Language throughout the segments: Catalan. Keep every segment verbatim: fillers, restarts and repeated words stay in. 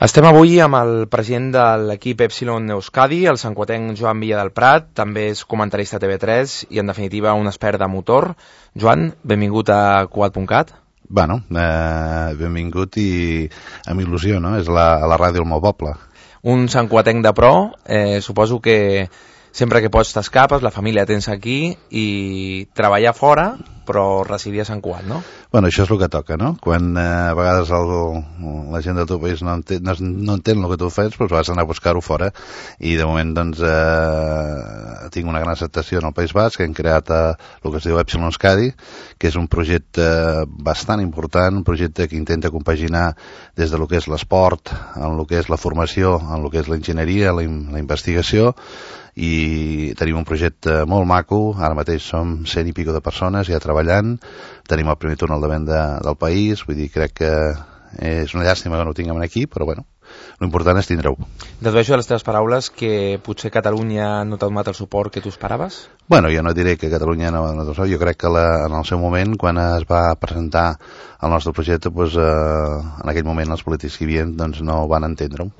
Estem avui amb el president de l'equip Epsilon Euskadi, el santcuatenc Joan Villa del Prat, també és comentarista a T V tres i, en definitiva, un expert de motor. Joan, benvingut a Cugat punt cat. Bueno, eh, benvingut i amb il·lusió, no? És la, la ràdio del meu poble. Un santcuatenc de pro, eh, suposo que sempre que pots t'escapes, la família tens aquí i treballar fora, però residir a Sant Cugat, no? Bueno, això és el que toca, no? Quan eh, a vegades el, la gent del teu país no entén, no, no entén el que tu fas, doncs vas anar a buscar-ho fora, i de moment doncs eh, tinc una gran acceptació en el País Basc, que hem creat eh, el que es diu Epsilon Euskadi, que és un projecte bastant important, un projecte que intenta compaginar des de lo que és l'esport, en lo que és la formació, en lo que és l'enginyeria, la, la investigació, i tenim un projecte molt maco. Ara mateix som cent i pico de persones ja treballant, tenim el primer túnel de venda del país, vull dir, crec que és una llàstima que no ho tinguem aquí, però bueno, l'important és tindre-ho. Dedueixo de les teves paraules que potser Catalunya no t'ha donat el suport que tu esperaves? Bueno, jo no diré que Catalunya no ha donat el suport, jo crec que la, en el seu moment, quan es va presentar el nostre projecte, doncs, eh, en aquell moment els polítics que hi havia doncs, no van entendre-ho,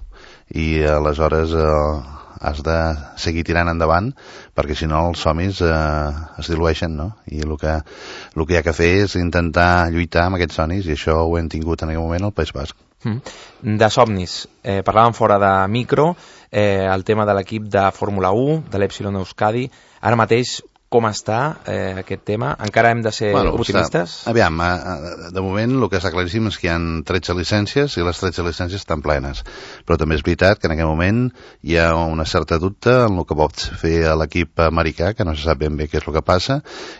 i aleshores eh, has de seguir tirant endavant, perquè si no els somnis eh, es dilueixen, no? I el que, el que hi ha que fer és intentar lluitar amb aquests somnis, i això ho hem tingut en aquell moment al País Basc. Mm. De somnis, eh, parlàvem fora de micro, eh, el tema de l'equip de Fórmula u, de l'Epsilon Euskadi. Ara mateix, com està eh, aquest tema? Encara hem de ser bueno, optimistes? Està, aviam, de moment el que està claríssim és que hi ha tretze llicències i les tretze llicències estan plenes, però també és veritat que en aquest moment hi ha una certa dubte en el que pot fer l'equip americà, que no se sap ben bé què és el que passa,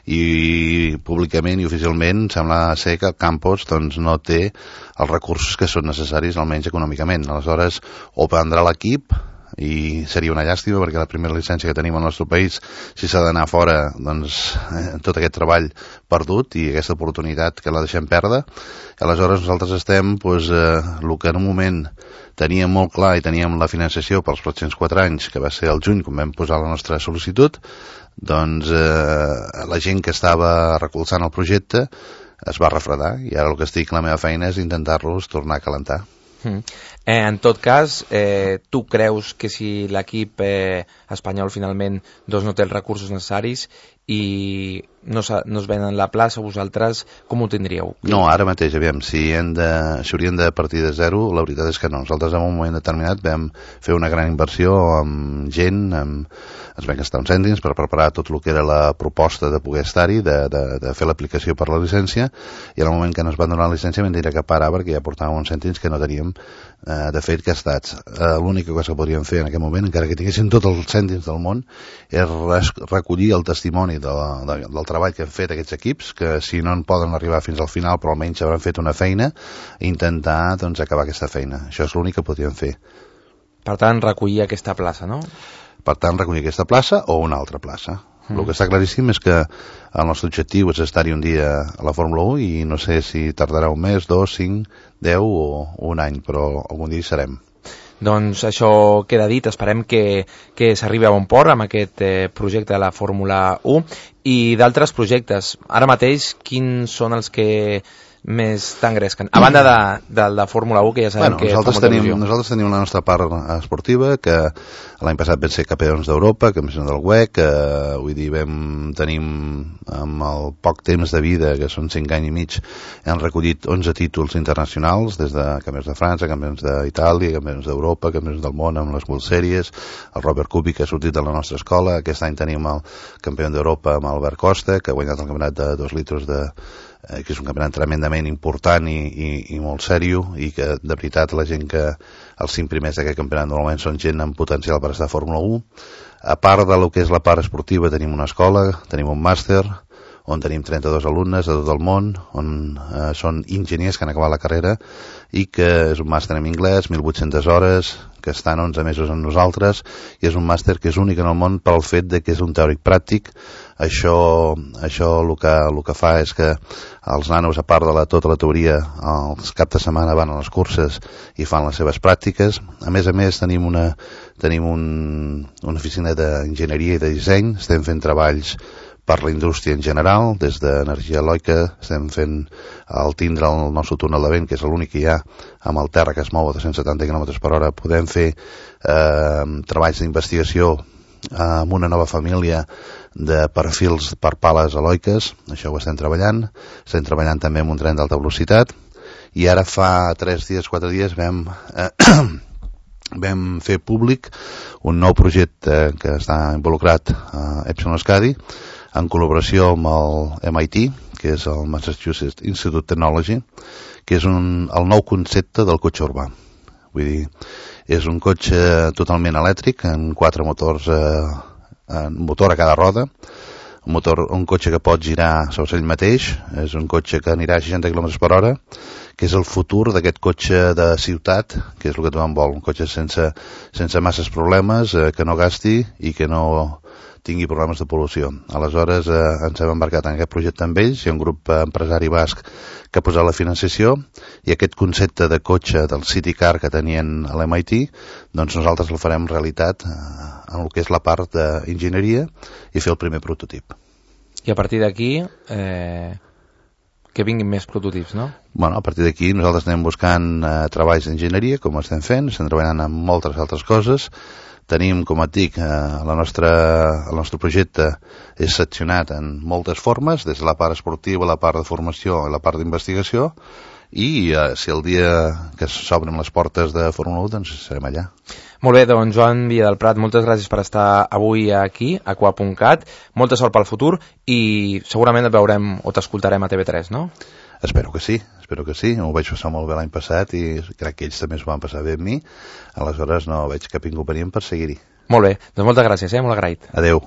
i públicament i oficialment sembla ser que el campus doncs, no té els recursos que són necessaris, almenys econòmicament. Aleshores, o prendrà l'equip, i seria una llàstima perquè la primera llicència que tenim al nostre país, si s'ha d'anar fora, doncs eh, tot aquest treball perdut i aquesta oportunitat que la deixem perdre. Aleshores nosaltres estem doncs, eh, el que en un moment teníem molt clar i teníem la financiació pels pròxims quatre anys, que va ser el juny quan vam posar la nostra sol·licitud, doncs eh, la gent que estava recolzant el projecte es va refredar, i ara el que estic, la meva feina és intentar-los tornar a calentar. Mm. Eh, en tot cas, eh, tu creus que si l'equip eh, espanyol finalment doncs, no té els recursos necessaris i no, no es venen la plaça, vosaltres com ho tindríeu? No, ara mateix, aviam, si, hem de, si hauríem de partir de zero, la veritat és que no. Nosaltres en un moment determinat vam fer una gran inversió amb gent, amb, ens vam gastar uns cèntims per preparar tot el que era la proposta de poder estar-hi, de, de, de fer l'aplicació per la llicència, i en el moment que ens van donar la llicència vam dir que parar perquè ja portàvem uns cèntims que no teníem eh, de fet gastats. Eh, l'única cosa que podríem fer en aquest moment, encara que tinguéssim tots els cèntims del món, és recollir el testimoni de, de, del treball que han fet aquests equips, que si no en poden arribar fins al final, però almenys hauran fet una feina, i intentar doncs, acabar aquesta feina. Això és l'únic que podríem fer. Per tant, recollir aquesta plaça, no? Per tant, recollir aquesta plaça o una altra plaça. Mm. El que està claríssim és que el nostre objectiu és estar-hi un dia a la Fórmula u, i no sé si tardarà un mes, dos, cinc, deu o un any, però algun dia hi serem. Doncs això queda dit, esperem que, que s'arribi a bon port amb aquest eh, projecte de la Fórmula u i d'altres projectes. Ara mateix, quins són els que més t'engresquen? A banda de, de la Fórmula u, que ja sabem bueno, que nosaltres fa molta tenim, il·lusió. nosaltres tenim la nostra part esportiva, que l'any passat vam ser campions d'Europa, campions del U E C, que vull dir, vam tenim amb el poc temps de vida, que són cinc anys i mig, hem recollit onze títols internacionals, des de campions de França, campions d'Itàlia, campions d'Europa, campions del món amb les World Series, el Robert Kubica que ha sortit de la nostra escola, aquest any tenim el campió d'Europa amb Albert Costa, que ha guanyat el campionat de dos litres de que és un campionat tremendament important i, i, i molt sèrio, i que de veritat la gent que els cinc primers d'aquest campionat normalment són gent amb potencial per estar a Fórmula u. A part de lo que és la part esportiva, tenim una escola, tenim un màster on tenim trenta-dos alumnes de tot el món, on eh, són enginyers que han acabat la carrera, i que és un màster en anglès, mil vuit-centes hores, que estan onze mesos amb nosaltres, i és un màster que és únic en el món pel fet de que és un teòric pràctic. Això, això el que, el que fa és que els nanos, a part de la, tota la teoria, els caps de setmana van a les curses i fan les seves pràctiques. A més a més, tenim una, tenim un, una oficina d'enginyeria i de disseny, estem fent treballs per la indústria en general. Des d'energia eòlica estem fent el tindre el nostre túnel de vent, que és l'únic que hi ha amb el terra, que es mou a dos-cents setanta quilòmetres per hora. Podem fer eh, treballs d'investigació amb una nova família de perfils per pales eòliques. Això ho estem treballant. Estem treballant també amb un tren d'alta velocitat, i ara fa tres dies, quatre dies vam, eh, vam fer públic un nou projecte que està involucrat a Epsilon Euskadi en col·laboració amb el M I T, que és el Massachusetts Institute of Technology, que és un, el nou concepte del cotxe urbà. Vull dir, és un cotxe totalment elèctric, amb quatre motors, eh, un motor a cada roda, un, motor, un cotxe que pot girar sobre ell mateix, és un cotxe que anirà a seixanta quilòmetres per hora, que és el futur d'aquest cotxe de ciutat, que és el que tothom vol, un cotxe sense, sense masses problemes, eh, que no gasti i que no tingui problemes de pol·lució. Aleshores eh, ens hem embarcat en aquest projecte amb ells, hi ha un grup empresari basc que ha posat la financiació, i aquest concepte de cotxe del City Car que tenien a l'M I T, doncs nosaltres el farem realitat eh, en el que és la part d'enginyeria i fer el primer prototip. I a partir d'aquí eh, que vinguin més prototips, no? Bueno, a partir d'aquí nosaltres anem buscant eh, treballs d'enginyeria, com estem fent, estem treballant en moltes altres coses. Tenim, com et dic, eh, la nostra, el nostre projecte és seccionat en moltes formes, des de la part esportiva, la part de formació i la part d'investigació, i eh, si el dia que s'obren les portes de Fórmula u, doncs serem allà. Molt bé, doncs Joan Villa del Prat, moltes gràcies per estar avui aquí, a Q A punt cat, molta sort pel futur, i segurament et veurem o t'escoltarem a T V tres, no? Espero que sí, espero que sí. M'ho vaig passar molt bé l'any passat i crec que ells també s'ho van passar bé amb mi. Aleshores no veig cap inconvenient per seguir-hi. Molt bé, doncs moltes gràcies, eh? Molt agraït. Adeu.